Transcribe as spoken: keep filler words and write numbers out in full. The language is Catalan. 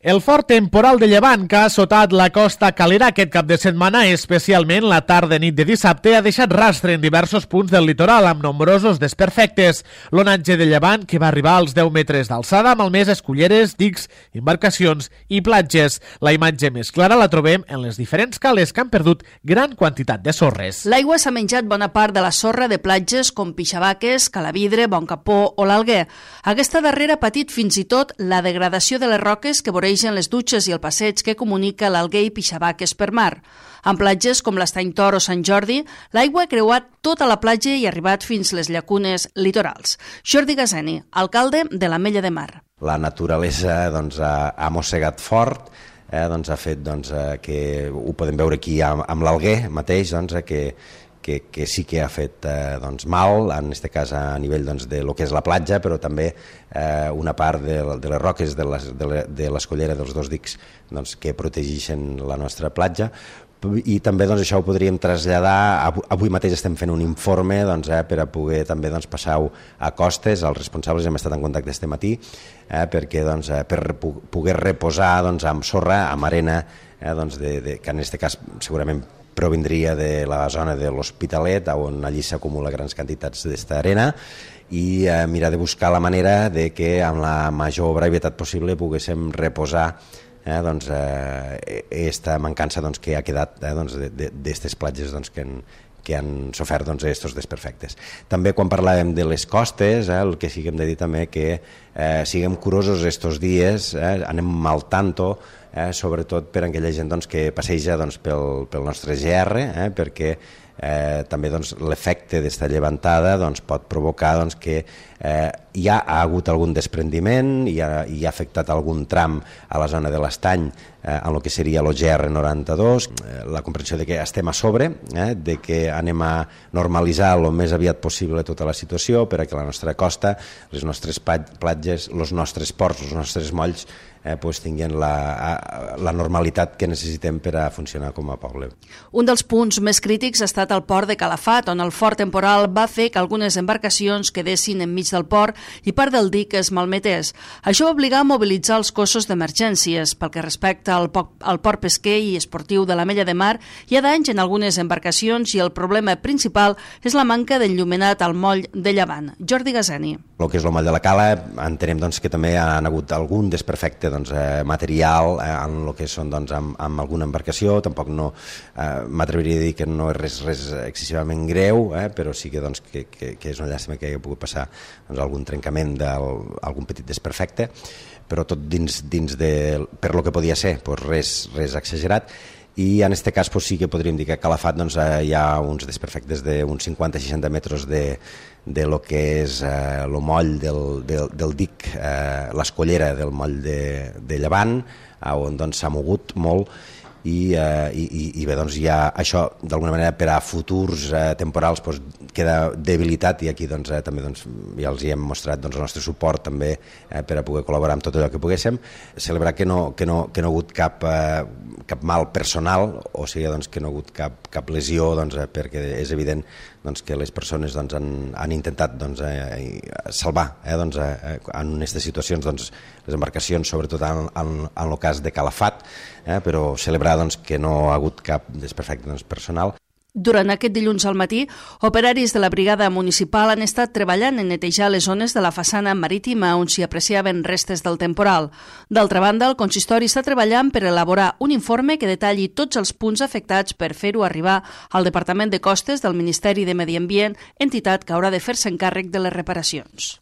El fort temporal de llevant que ha assotat la costa calera aquest cap de setmana, especialment la tarda nit de dissabte, ha deixat rastre en diversos punts del litoral amb nombrosos desperfectes. L'onatge de llevant, que va arribar als deu metres d'alçada, ha malmès esculleres, dics, embarcacions i platges. La imatge més clara la trobem en les diferents cales que han perdut gran quantitat de sorres. L'aigua s'ha menjat bona part de la sorra de platges com Pixabaques, Calavidre, Boncapó o l'Alguer. Aquesta darrera ha patit fins i tot la degradació de les roques que voregen les dutxes i el passeig que comunica l'Alguer i Pixabaques per mar. En platges com l'Estany Tor o Sant Jordi, l'aigua ha creuat tota la platja i ha arribat fins les llacunes litorals. Jordi Gazeni, alcalde de l'Ametlla de Mar. La naturalesa doncs, ha, ha mossegat fort, eh, doncs, ha fet doncs, eh, que ho podem veure aquí amb, amb l'Alguer mateix, doncs, eh, que Que, que sí que ha fet eh, doncs, mal, en aquest cas a nivell doncs, de lo que és la platja, però també eh, una part de, de les roques de, les, de, la, de l'escollera dels dos dics doncs, que protegeixen la nostra platja. I també doncs, això ho podríem traslladar, avui mateix estem fent un informe doncs, eh, per a poder també doncs, passar-ho a costes, els responsables hem estat en contacte este matí, eh, perquè doncs, eh, per poder reposar doncs, amb sorra, amb arena, eh, doncs, de, de, que en aquest cas segurament provindria de la zona de l'Hospitalet, on allí s'acumula grans quantitats d'esta arena, i eh, mirar de buscar la manera de que amb la major brevetat possible poguéssim reposar eh, doncs, eh, esta mancança doncs, que ha quedat eh, doncs, d'aquestes platges doncs, que han, que han sofert doncs, estos desperfectes. També quan parlàvem de les costes, eh, el que sí que hem de dir també que eh, siguem curosos estos dies, eh, anem al tanto, eh, sobretot per a aquella gent doncs, que passeja doncs, pel, pel nostre G R, eh, perquè eh, també doncs, l'efecte d'esta llevantada doncs, pot provocar doncs, que eh, ja ha hagut algun desprendiment i ha, i ha afectat algun tram a la zona de l'Estany eh, en el que seria el G R noranta-dos, eh, la comprensió de que estem a sobre, eh, de que anem a normalitzar el més aviat possible tota la situació per a que la nostra costa, les nostres platges, els nostres ports, els nostres molls eh, pues, tinguin la, la normalitat que necessitem per a funcionar com a poble. Un dels punts més crítics ha estat el port de Calafat, on el fort temporal va fer que algunes embarcacions quedessin enmig del port i part del dic es malmetés. Això va obligar a mobilitzar els cossos d'emergències. Pel que respecta al, al port pesquer i esportiu de l'Ametlla de Mar, hi ha danys en algunes embarcacions i el problema principal és la manca d'enllumenat al moll de Llevant. Jordi Gazeni. El que és el moll de la Cala, entenem doncs, que també ha hagut algun desperfecte doncs, eh, material eh, en el que són doncs, amb, amb alguna embarcació. Tampoc no eh, m'atreviria a dir que no és res, res excessivament greu, eh, però sí que, doncs, que, que, que és una llàstima que hagi pogut passar doncs, algun trencament d'algun petit desperfecte, però tot dins, dins de, per lo que podia ser, doncs res, res exagerat. I en aquest cas doncs, sí que podríem dir que a Calafat doncs, hi ha uns desperfectes d'uns cinquanta a seixanta metres de, de lo que és eh, el moll del, del, del dic, eh, l'escollera del moll de, de Llevant, on doncs, s'ha mogut molt. I, eh, i, i bé, doncs ja això d'alguna manera per a futurs eh, temporals doncs, queda debilitat i aquí doncs, eh, també doncs, ja els hi hem mostrat doncs, el nostre suport també eh, per a poder col·laborar amb tot allò que poguéssim. Celebrar que no, que no, que no ha hagut cap, eh, cap mal personal, o sigui doncs, que no ha hagut cap, cap lesió doncs, eh, perquè és evident doncs, que les persones doncs, han, han intentat doncs, eh, salvar eh, doncs, eh, en aquestes situacions doncs, les embarcacions, sobretot en, en, en el cas de Calafat, eh, però celebrar doncs, que no ha hagut cap desperfecte doncs, personal. Durant aquest dilluns al matí, operaris de la brigada municipal han estat treballant en netejar les zones de la façana marítima on s'hi apreciaven restes del temporal. D'altra banda, el consistori està treballant per elaborar un informe que detalli tots els punts afectats per fer-ho arribar al Departament de Costes del Ministeri de Medi Ambient, entitat que haurà de fer-se encàrrec de les reparacions.